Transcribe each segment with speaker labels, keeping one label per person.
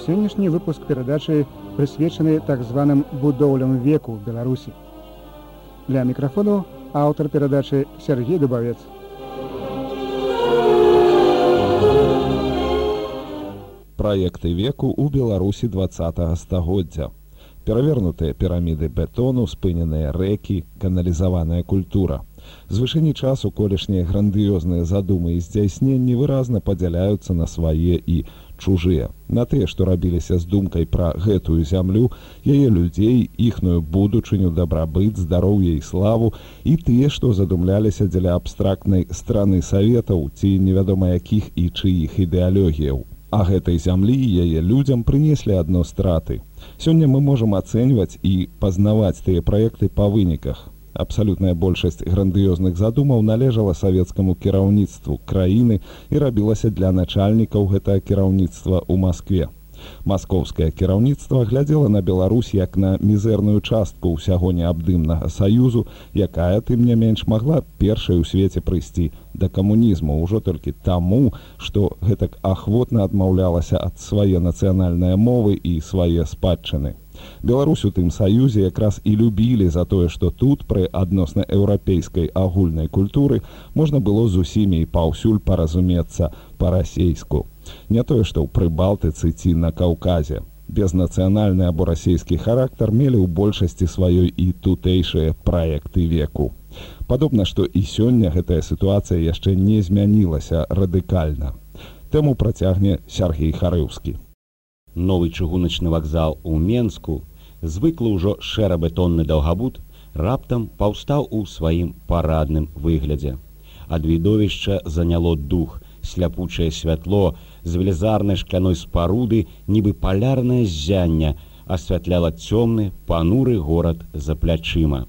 Speaker 1: Сённяшні выпуск перадачы прысвечаны так званым будоўлям веку ў Беларусі. Для мікрафону аўтар перадачы Сергей Дубавец.
Speaker 2: Праекты веку ў Беларусі 20-го стагоддзя. Перавернутыя піраміды бетону, спыненыя рэкі, каналізаваная культура. З вышыні часу колішнія грандыёзныя задумы і здзяйсненні выразна падзяляюцца на свае і чужыя. На тыя, што рабіліся з думкай пра гэтую зямлю, яе людзей, іхную будучыню, дабрабыт, здароўе і славу, і тыя, што задумляліся дзеля абстрактнай страны саветаў ці невядома якіх і чыіх ідэалогіяў. А гэтай зямлі і яе людзям прынеслі адно страты. Сёння мы можам ацэньваць і пазнаваць тыя праекты па выніках. Абсалютная большасць грандыёзных задумаў належала савецкаму кіраўніцтву краіны і рабілася для начальнікаў гэтага кіраўніцтва ў Маскве. Маскоўскае кіраўніцтва глядзела на Беларусь як на мізэрную частку ўсяго неабдымнага саюзу, якая, тым не менш, магла першай у свеце прыйсці да камунізму ўжо толькі таму, што гэтак ахвотна адмаўлялася ад свае нацыянальныя мовы і свае спадчыны. Беларусь у тым саюзе якраз і любілі за тое, што тут пры адносна еўрапейскай агульнай культуры можна было з усімі і паўсюль паразумецца па-расейску. Не тое, што ў Прыбалтыцы ці на Каўказе. Безнацыянальны або расійскі характар мелі ў большасці сваёй і тутэйшыя праекты веку. Падобна, што і сёння гэтая сітуацыя яшчэ не змянілася радыкальна. Тэму працягне Сергей Харыўскі.
Speaker 3: Новы чыгуначны вакзал у Менску, звыклы ўжо шэра-бетонны даўгабут, раптам паўстаў у сваім парадным выглядзе. Ад відовішча заняло дух, сляпучае святло з велізарнай шкляной спаруды, нібы палярнае ззянне, асвятляла цёмны, пануры горад за плячыма.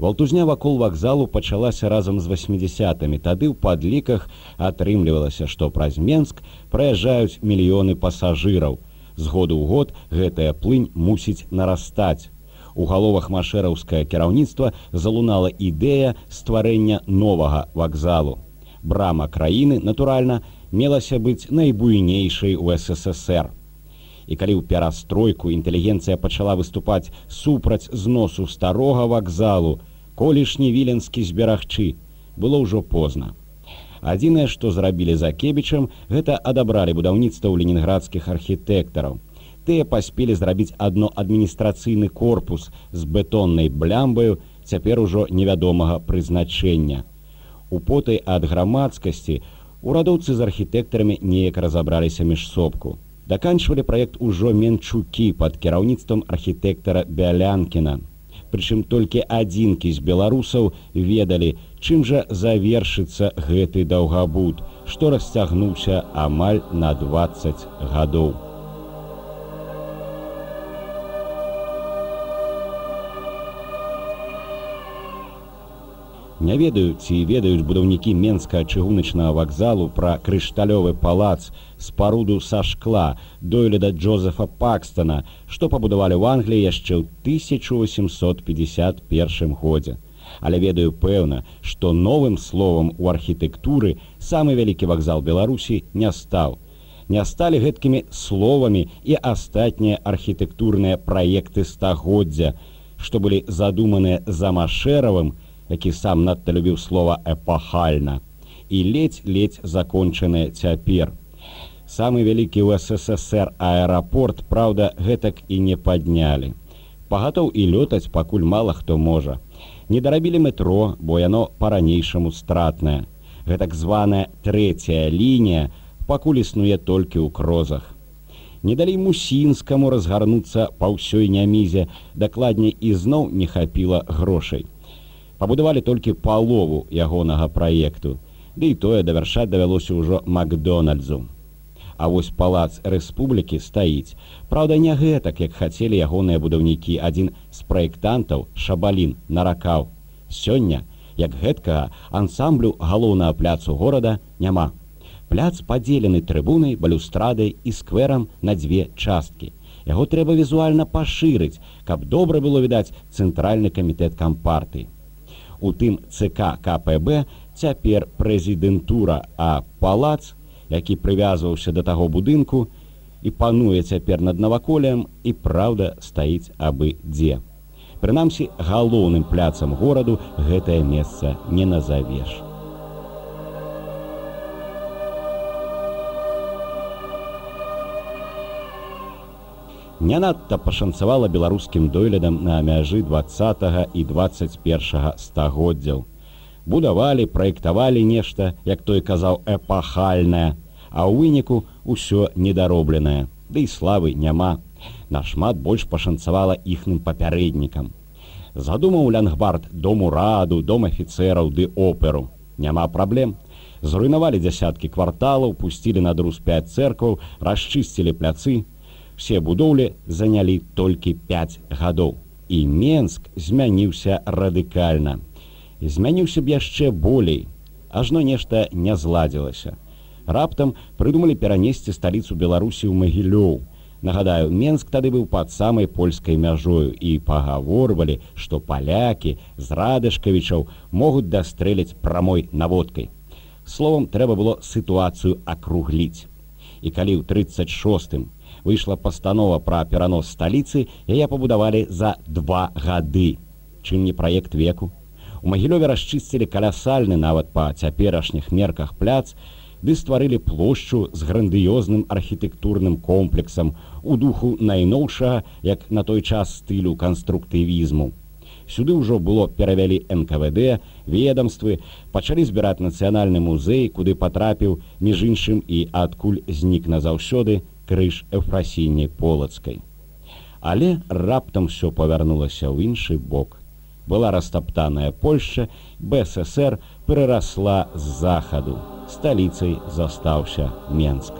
Speaker 3: Валтузня вакол вакзалу пачалася разам з 80-мі. Тады ў падліках атрымлівалася, што праз Менск праязджаюць мільёны пасажыраў. З году ў год гэтая плынь мусіць нарастаць. У галовах машэраўскае кіраўніцтва залунала ідэя стварэння новага вакзалу. Брама краіны, натуральна, мелася быць найбуйнейшай у СССР. І калі ў перастройку інтэлігенцыя пачала выступаць супраць зносу старога вакзалу, колішні віленскі зберагчы, было ўжо позна. Адзінае, што зрабілі за Кебічам, гэта адабралі будаўніцтва ў ленінградскіх архітэктараў. Тыя паспелі зрабіць адно адміністрацыйны корпус з бетоннай блямбаю, цяпер ужо невядомага прызначэння. Употай ад грамадскасці урадоўцы з архітэктарамі неяк разабраліся міжсобку. Даканчвалі праект ужо менчукі пад кіраўніцтвам архітэктара Бялянкіна. Прычым толькі адзінкі з беларусаў ведалі, чым жа завершыцца гэты даўгабут, што расцягнуўся амаль на 20 гадоў. Не ведаю, ці ведаюць будаўнікі Менскага чыгуначнага вакзалу пра крышталёвы палац, спаруду са шкла дойліда Джозефа Пакстона, што пабудавалі ў Англіі яшчэ ў 1851 годзе. Але ведаю пэўна, што новым словам у архітэктуры самы вялікі вакзал Беларусі не стаў. Не сталі гэткімі словамі і астатнія архітэктурныя праекты стагоддзя, што былі задуманыя за Машэравым, які сам надта любіў слова «эпахальна», і ледзь-ледзь закончаныя цяпер. Самы вялікі ў СССР аэрапорт, праўда, гэтак і не паднялі. Пагатоў і лётаць пакуль мала хто можа. Не дарабілі метро, бо яно па-ранейшаму стратнае. Гэтак званая трэцяя лінія пакуль існуе толькі ў крозах. Не далі Мусінскаму разгарнуцца па ўсёй нямізе, дакладней ізноў не хапіла грошай. Пабудавалі толькі палову ягонага праекту, ды і тое давяршаць давялося ўжо Макдональдзу. А вось палац Рэспублікі стаіць. Праўда, не гэтак, як хацелі ягоныя будаўнікі. Адзін з праектантаў, Шабалін, наракаў: сёння, як гэткага ансамблю галоўнага пляцу горада няма. Пляц падзелены трыбунай, балюстрадай і скверам на дзве часткі. Яго трэба візуальна пашырыць, каб добра было відаць цэнтральны камітэт кампартыі. У тым ЦК КПБ цяпер прэзідэнтура, а палац, які прывязваўся да таго будынку, і пануе цяпер над наваколлем, і праўда стаіць абы дзе. Прынамсі, галоўным пляцам гораду гэтае месца не назавеш. Не надта пашанцавала беларускім дойлідам на мяжы 20 і 21 стагоддзяў. Будавалі, праектавалі нешта, як той казаў, эпахальнае, а ў выніку ўсё недаробленае, ды і славы няма. Нашмат больш пашанцавала іхным папярэднікам. Задумаў Лянгбард дом ураду, дом афіцэраў ды оперу. Няма праблем. Зруйнавалі дзясяткі кварталаў, пусцілі на друз 5 цэркваў, расчысцілі пляцы. Все будоўлі занялі толькі 5 гадоў. І Менск змяніўся радыкальна. Змяніўся б яшчэ болей. Ажно нешта не зладзілася. Раптам прыдумалі перанесці сталіцу Беларусі ў Магілёў. Нагадаю, Менск тады быў пад самай польскай мяжою і пагаворвалі, што палякі з Радышкавічаў могуць дастрэліць прамой наводкай. Словам, трэба было сітуацыю акругліць. І калі ў 36-м выйшла пастанова пра перанос сталіцы, яе пабудавалі за 2 гады. Чым не праект веку? У Магілёве расчысцілі калясальны нават па цяперашніх мерках пляц, ды стварылі плошчу з грандыёзным архітэктурным комплексам у духу найноўшага, як на той час, стылю канструктывізму. Сюды ўжо было перавялі НКВД, ведамствы, пачалі збіраць нацыянальны музей, куды патрапіў, між іншым, і адкуль знік назаўсёды крыж Эфрасіні Полацкай. Але раптам усё павярнулася ў іншы бок. Была растаптаная Польшча, БССР перарасла з захаду. Сталіцай застаўся Менск.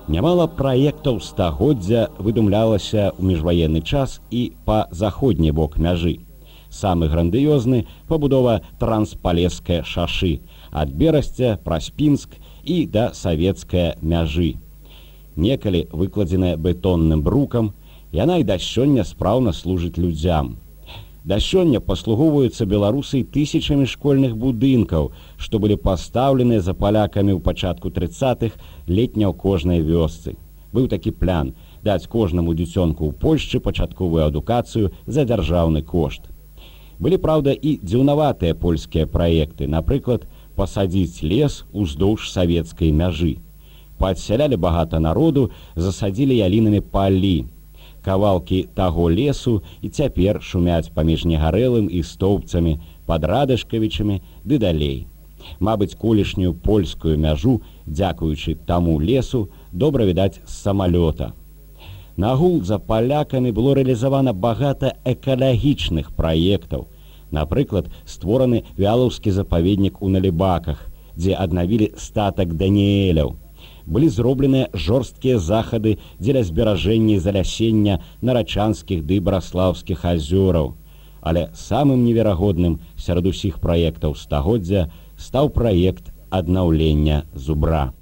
Speaker 3: Нямала праектаў стагоддзя выдумлялася ў міжваенны час і па заходні бок мяжы. Самы грандыёзны пабудова Транспалескае шашы ад Берасця праз Пінск і да савецкае мяжы. Некалі выкладзеная бетонным брукам, яна і да сёння спраўна служыць людзям. Да сёння паслугоўваюцца беларусы тысячамі школьных будынкаў, што былі пастаўлены за палякамі ў пачатку 30-х летня ў кожнай вёсцы. Быў такі план даць кожнаму дзіцёнку ў Польшчы пачатковую адукацыю за дзяржаўны кошт. Былі, праўда, і дзіўнаватыя польскія праекты, напрыклад, пасадзіць лес уздоўж савецкай мяжы. Падсялялі багата народу, засадзілі ялінамі палі. Кавалкі таго лесу і цяпер шумяць паміж Негарэлым і Стоўбцамі, пад Радышкавічамі ды далей. Мабыць, колішнюю польскую мяжу, дзякуючы таму лесу, добра відаць з самалёта. Нагул за палякамі было рэалізавана багата экалагічных праектаў. Напрыклад, створаны вялаўскі запаведнік у Налібаках, дзе аднавілі статак Даніэляў. Былі зробленыя жорсткія захады дзеля зберажэння і залясення нарачанскіх ды браслаўскіх азёраў. Але самым неверагодным сярод усіх праектаў стагоддзя стаў праект аднаўлення Зубра.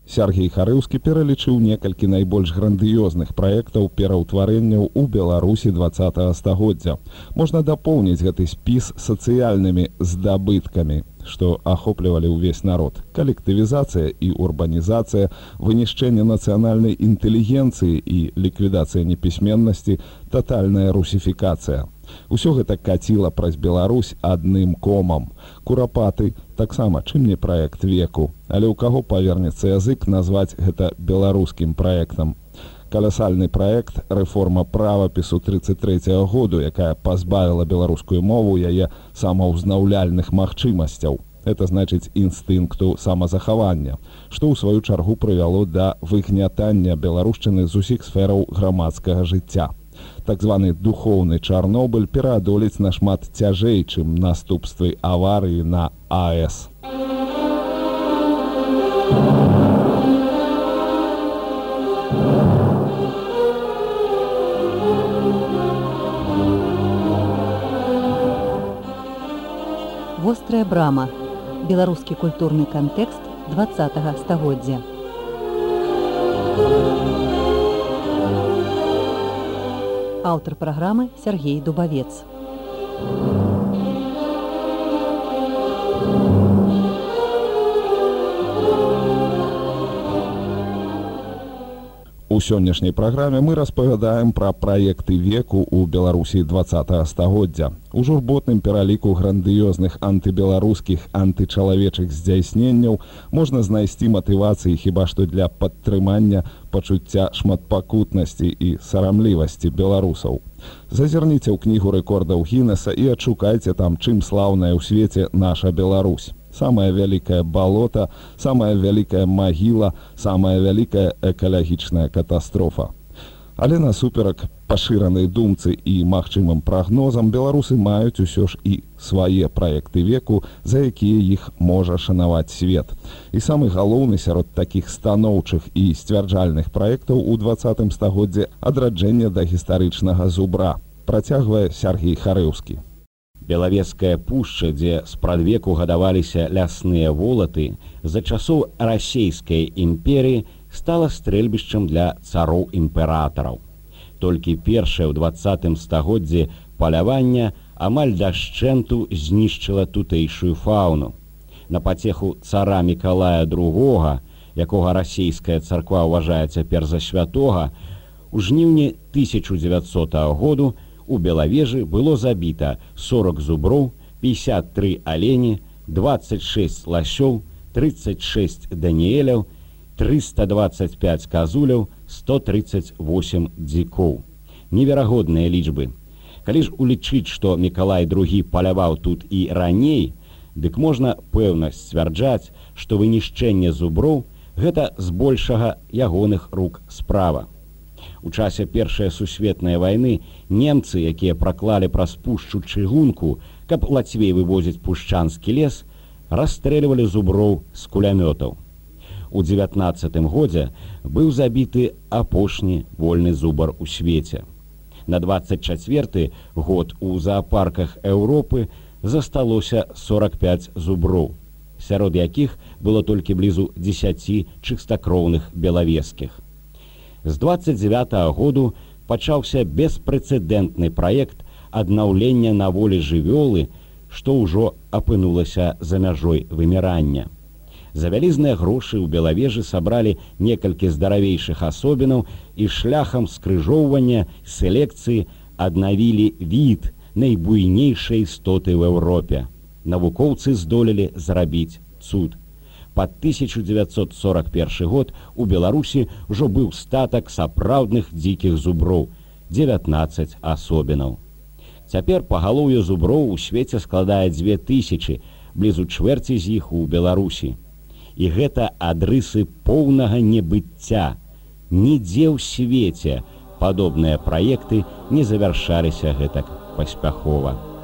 Speaker 2: Сергей Харыўскі пералічыў некалькі найбольш грандыёзных праектаў пераўтварэнняў у Беларусі 20 стагоддзя. Можна дапоўніць гэты спіс сацыяльнымі здабыткамі, што ахоплівалі ўвесь народ. Калектывізацыя і урбанізацыя, вынішчэнне нацыянальнай інтэлігенцыі і ліквідацыя непісьменнасці, татальная русіфікацыя. Усё гэта каціла праз Беларусь адным комам. Курапаты таксама чым не праект веку, але ў каго павернецца язык назваць гэта беларускім праектам. Калясальны праект рэформа правапісу 33-го году, якая пазбавіла беларускую мову яе самаўзнаўляльных магчымасцяў. Это значыць інстынкту самазахавання, што ў сваю чаргу прывяло да выгнятання беларушчыны з усіх сфераў грамадскага жыцця. Так званы духоўны Чарнобыль пераадолець нашмат цяжэй, чым наступствы аварыі на АЭС.
Speaker 4: Вострая брама. Беларускі культурны кантэкст 20-го стагоддзя. Аўтар праграмы Сергей Дубавец.
Speaker 2: У сённяшняй праграме мы распавядаем пра праекты веку ў Беларусі 20 стагоддзя. У журботным пераліку грандыёзных антыбеларускіх антычалавечых здзяйсненняў можна знайсці матывацыі хіба што для падтрымання пачуцця шматпакутнасці і сарамлівасці беларусаў. Зазірніце ў кнігу рэкордаў Гіннеса і адшукайце там, чым слаўная ў свеце наша Беларусь. Самая вялікая балота, самая вялікая магіла, самая вялікая экалагічная катастрофа. Але насуперак пашыранай думцы і магчымым прагнозам беларусы маюць усё ж і свае праекты веку, за якія іх можа шанаваць свет. І самы галоўны сярод такіх станоўчых і сцвярджальных праектаў у 20 стагоддзе адраджэнне да гістарычнага зубра, працягвае Сяргей Харэўскі.
Speaker 3: Белавежская пушча, дзе спрадвеку гадаваліся лясныя волаты, за часоў расейскай імперіі стала стрэльбішчам для цароў-імператараў. Толькі першае ў 20 стагоддзі палявання амаль дашчэнту знішчыла тутэйшую фауну. На пацеху цара Мікалая II, якога расійская царква ўважае цяпер за святога, у жніўні 1900 году у Белавежы было забіта 40 зуброў, 53 алені, 26 ласёў, 36 даніэляў, 325 казуляў, 138 дзікоў. Неверагодныя лічбы. Калі ж улічыць, што Мікалай II паляваў тут і раней, дык можна пэўна сцвярджаць, што вынішчэнне зуброў гэта збольшага ягоных рук справа. У часе Першай сусветнай вайны немцы, якія праклалі праз пушчу чыгунку, каб лацвей вывозіць пушчанскі лес, расстрэльвалі зуброў з кулямётаў. У 19 годзе быў забіты апошні вольны зубар у свеце. На 24 год у заапарках Еўропы засталося 45 зуброў, сярод якіх было толькі блізу 10 чыстакроўных белавежскіх. З 29 году пачаўся беспрэцэдэнтны праект аднаўлення на волі жывёлы, што ўжо апынулася за мяжой вымірання. За вялізныя грошы ў Белавежы сабралі некалькі здаравейшых асобінаў і шляхам скрыжоўвання селекцыі аднавілі від найбуйнейшай істоты ў Еўропе. Навукоўцы здолелі зрабіць цуд. Пад 1941 год у Беларусі ўжо быў статак сапраўдных дзікіх зуброў, 19 асобінаў. Цяпер пагалоўе зуброў у свеце складае 2000, блізу чвэрці з іх у Беларусі. І гэта адрысы поўнага небыцця. Нідзе ў свеце падобныя праекты не завяршаліся гэтак паспяхова.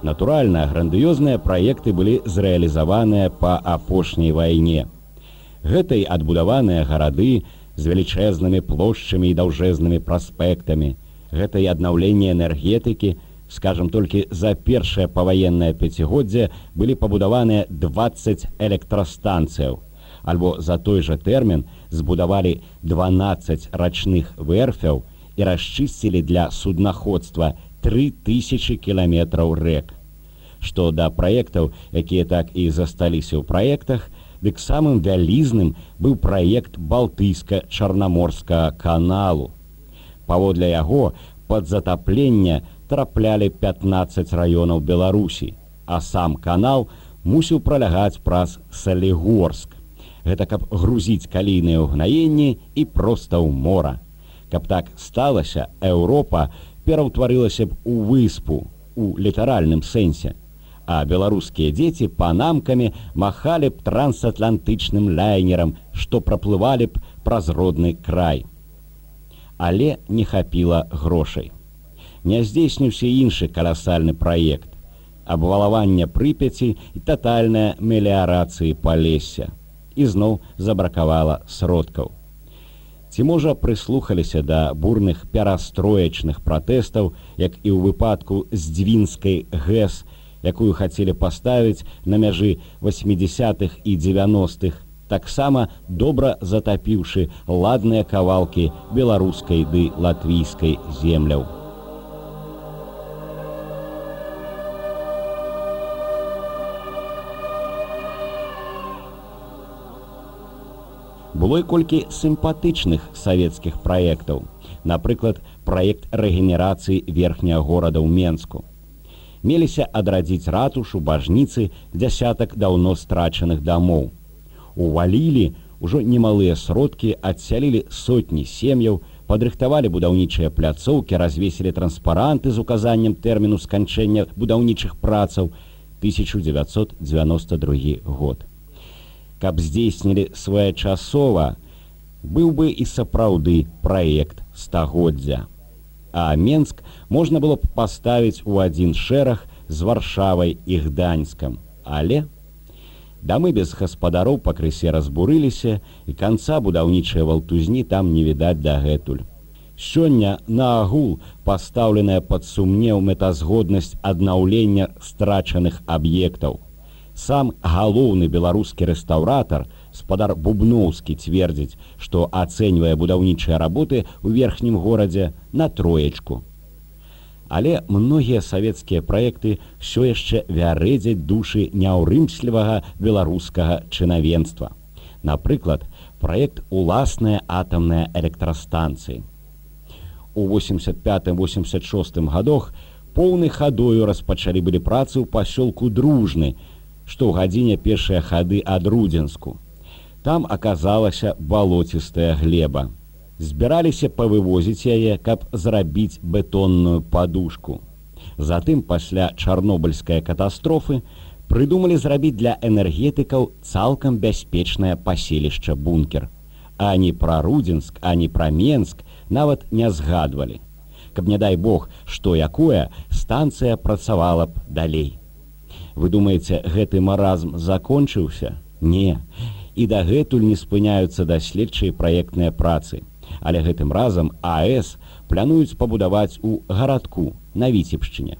Speaker 3: Натуральна, грандыёзныя праекты былі зрэалізаваныя па апошняй вайне. Гэта і адбудаваныя гарады з велічэзнымі плошчамі і даўжэзнымі праспектамі. Гэта і аднаўленне энергетыкі. Скажам, толькі за першае паваеннае пяцігоддзе былі пабудаваныя 20 электрастанцыяў. Альбо за той жа тэрмін збудавалі 12 рачных верфяў і расчысцілі для суднаходства 3000 кіламетраў рэк. Што да праектаў, якія так і засталіся ў праектах, дык самым вялізным быў праект Балтыйска-Чарнаморскага каналу. Паводле яго пад затаплення траплялі 15 раёнаў Беларусі, а сам канал мусіў пралягаць праз Салігорск. Гэта каб грузіць калійныя ўгнаенні і проста ў мора. Каб так сталася, Еўропа пераўтварылася б у выспу, у літаральным сэнсе, а беларускія дзеці панамкамі махалі б трансатлантычным лайнерам, што праплывалі б праз родны край. Але не хапіла грошай. Не здзейсніўся іншы каласальны праект – абвалаванне Прыпяці і татальная меліярацыі Палесся. І зноў забракавала сродкаў. Ці, можа, прыслухаліся да бурных перастроечных пратэстаў, як і ў выпадку з Дзвінскай ГЭС, якую хацелі паставіць на мяжы 80-х і 90-х, таксама добра затапіўшы ладныя кавалкі беларускай ды латвійскай земляў. Было і колькі сімпатычных савецкіх праектаў. Напрыклад, праект рэгенерацыі верхняга горада ў Менску. Меліся адрадзіць ратушу, бажніцы, дзясятак даўно страчаных дамоў. Увалілі ўжо немалыя сродкі, адсялілі сотні сем'яў, падрыхтавалі будаўнічыя пляцоўкі, развесілі транспаранты з указаннем тэрміну сканчэння будаўнічых працаў 1992 год. Каб здзейснілі своечасова, быў бы і сапраўды праект стагоддзя. А Менск можна было б паставіць у адзін шэраг з Варшавай і Гданьскам. Але дамы без гаспадароў пакрысе разбурыліся, і канца будаўнічай валтузні там не відаць дагэтуль. Сёння на агул пастаўленая пад сумнеў мэтазгоднасць аднаўлення страчаных аб'ектаў. Сам галоўны беларускі рэстаўратар, спадар Бубноўскі, цвердзіць, што ацэньвае будаўнічыя работы ў верхнім горадзе на 3. Але многія савецкія праекты ўсё яшчэ вярэдзяць душы няўрымслівага беларускага чынавенства. Напрыклад, праект уласнай атамнай электрастанцыі. У 85-86 гадах поўнай хадою распачалі былі працы ў пасёлку Дружны, што ў гадзіне пешыя хады ад Рудзенску. Там аказалася балоцістая глеба. Збіраліся павывозіць яе, каб зрабіць бетонную падушку. Затым, пасля чарнобыльскай катастрофы, прыдумалі зрабіць для энергетыкаў цалкам бяспечнае паселішча-бункер. Ані пра Рудзенск, ані пра Менск нават не згадвалі. Каб, не дай Бог, што якое, станцыя працавала б далей. Вы думаеце, гэты маразм закончыўся? Не. І дагэтуль не спыняюцца даследчыя праектныя працы. Але гэтым разам АЭС плануюць пабудаваць у гарадку на Віцебшчыне.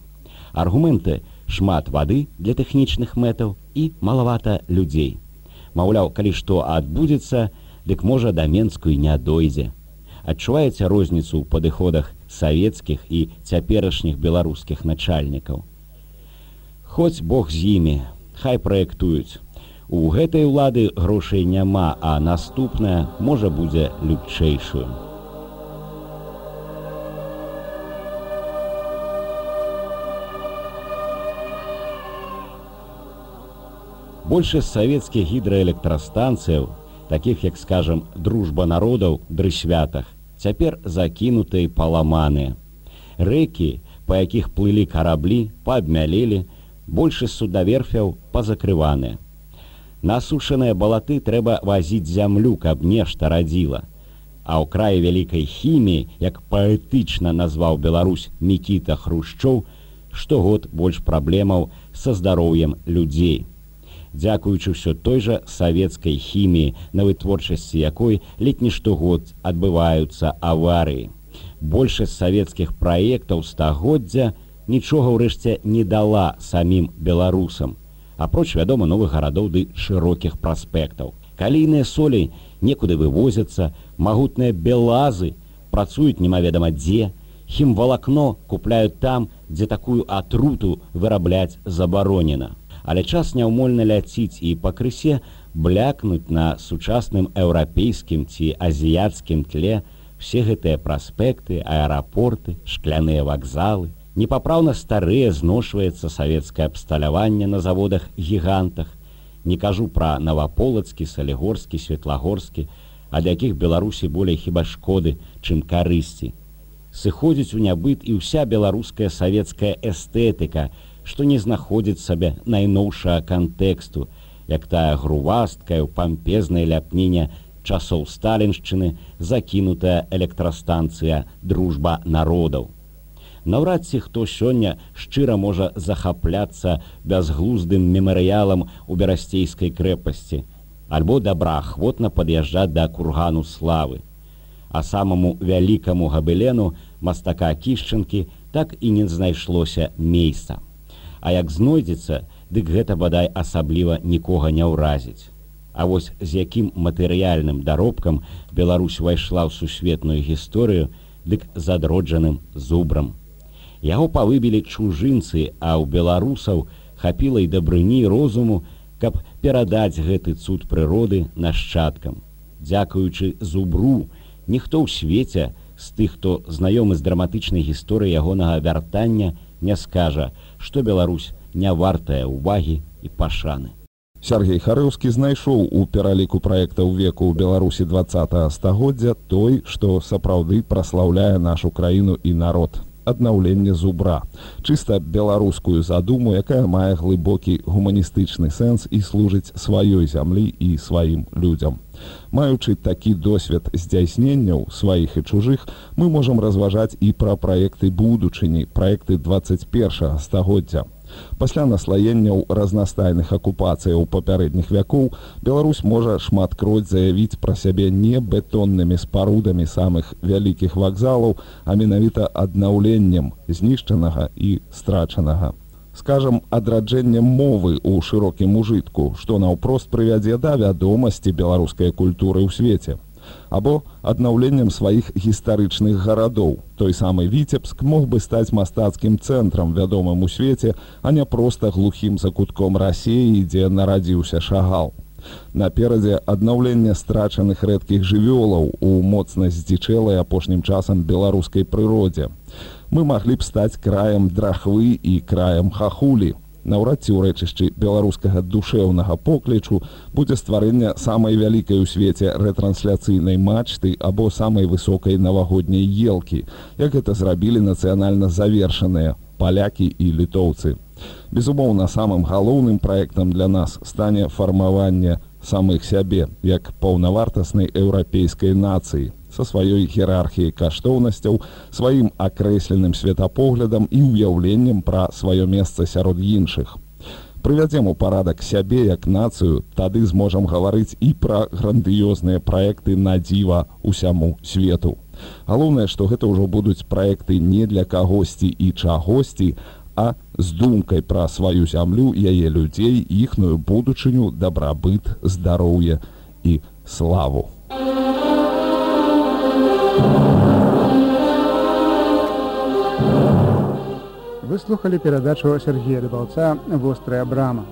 Speaker 3: Аргументы: шмат вады для тэхнічных мэтаў і малавата людзей. Маўляў, калі што адбудзецца, дык можа да Менску і не дойдзе. Адчуваеце розніцу ў падыходах савецкіх і цяперашніх беларускіх начальнікаў? Хоць Бог з імі, хай праектуюць. У гэтай улады грошай няма, а наступная, можа, будзе лютчэйшую. Большасць савецкіх гідраэлектрастанцыяў, такіх як, скажам, Дружба народаў, Дрысвятах, цяпер закінутыя і паламаныя. Рэкі, па якіх плылі караблі, паабмялелі, большасць судаверфяў пазакрываныя. На асушаныя балаты трэба вазіць зямлю, каб нешта радзіла. А ў краі вялікай хіміі, як паэтычна назваў Беларусь Мікіта Хрушчоў, штогод больш праблемаў са здароўем людзей. Дзякуючы ўсё той жа савецкай хіміі, на вытворчасці якой ледзь не штогод адбываюцца аварыі. Большасць савецкіх праектаў стагоддзя нічога ўрэшце не дала самім беларусам, апроч, вядома, новых гарадоў ды шырокіх праспектаў. Калійныя солі некуды вывозяцца, магутныя белазы працуюць немаведама дзе, хімвалакно купляюць там, дзе такую атруту вырабляць забаронена. Але час няўмольна ляціць і пакрысе блякнуць на сучасным еўрапейскім ці азіяцкім тле все гэтыя праспекты, аэрапорты, шкляныя вакзалы. Непапраўна старыя зношваецца савецкае абсталяванне на заводах-гігантах. Не кажу пра Наваполацкі, Салігорскі, Светлагорскі, ад якіх Беларусі болей хіба шкоды, чым карысці. Сыходзіць у нябыт і ўся беларуская савецкая эстэтыка, што не знаходзіць сабе найноўшага кантэксту, як тая грувасткая ў пампезнай ляпніне часоў сталіншчыны закінутая электрастанцыя «Дружба народаў». Наўрад ці хто сёння шчыра можа захапляцца бязглуздым мемарыялам у Берасцейскай крэпасці альбо добраахвотна пад'язджаць да кургану славы. А самаму вялікаму габелену мастака Кішчанкі так і не знайшлося месца. А як знойдзецца, дык гэта бадай асабліва нікога не ўразіць. А вось з якім матэрыяльным даробкам Беларусь увайшла ў сусветную гісторыю, дык з адроджаным зубрам. Яго павыбілі чужынцы, а ў беларусаў хапіла і дабрыні і розуму, каб перадаць гэты цуд прыроды нашчадкам. Дзякуючы зубру, ніхто ў свеце з тых, хто знаёмы з драматычнай гісторыяй ягонага вяртання, не скажа, што Беларусь не вартая ўвагі і пашаны.
Speaker 2: Сергей Харэўскі знайшоў у пераліку праектаў веку ў Беларусі 20 стагоддзя той, што сапраўды праслаўляе нашу краіну і народ. Аднаўленне зубра. Чыста беларускую задуму, якая мае глыбокі гуманістычны сэнс і служыць сваёй зямлі і сваім людзям. Маючы такі досвед здзяйсненняў сваіх і чужых, мы можам разважаць і пра праекты будучыні, праекты 21 стагоддзя. Пасля наслаенняў разнастайных акупацыяў папярэдніх вякоў Беларусь можа шматкроць заявіць пра сябе не бетоннымі спарудамі самых вялікіх вакзалаў, а менавіта аднаўленнем знішчанага і страчанага. Скажам, адраджэннем мовы ў шырокім ужытку, што наўпрост прывядзе да вядомасці беларускай культуры ў свеце. Або аднаўленнем сваіх гістарычных гарадоў. Той самы Віцебск мог бы стаць мастацкім цэнтрам, вядомым у свеце, а не проста глухім закутком Расіі, дзе нарадзіўся Шагал. Наперадзе аднаўленне страчаных рэдкіх жывёлаў у моцна здзічэлай апошнім часам беларускай прыродзе. Мы маглі б стаць краем драхвы і краем хахулі. Наўрад ці ў рэчышчы беларускага душэўнага поклічу будзе стварэнне самай вялікай у свеце рэтрансляцыйнай мачты або самай высокай навагодняй елкі, як гэта зрабілі нацыянальна завершаныя палякі і літоўцы. Безумоўна, самым галоўным праектам для нас стане фармаванне самых сябе як паўнавартаснай еўрапейскай нацыі са сваёй іерархіяй каштоўнасцяў, сваім акрэсленым светапоглядам і ўяўленнем пра сваё месца сярод іншых. Прывядзем у парадак сябе як нацыю, тады зможам гаварыць і пра грандыёзныя праекты на дзіва усяму свету. Галоўнае, што гэта ўжо будуць праекты не для кагосьці і чагосьці, а з думкай пра сваю зямлю, яе людзей, іхную будучыню, дабрабыт, здароўе і славу.
Speaker 1: Вы слухали перадачу Сергея Дыбаўца «Вострая брама».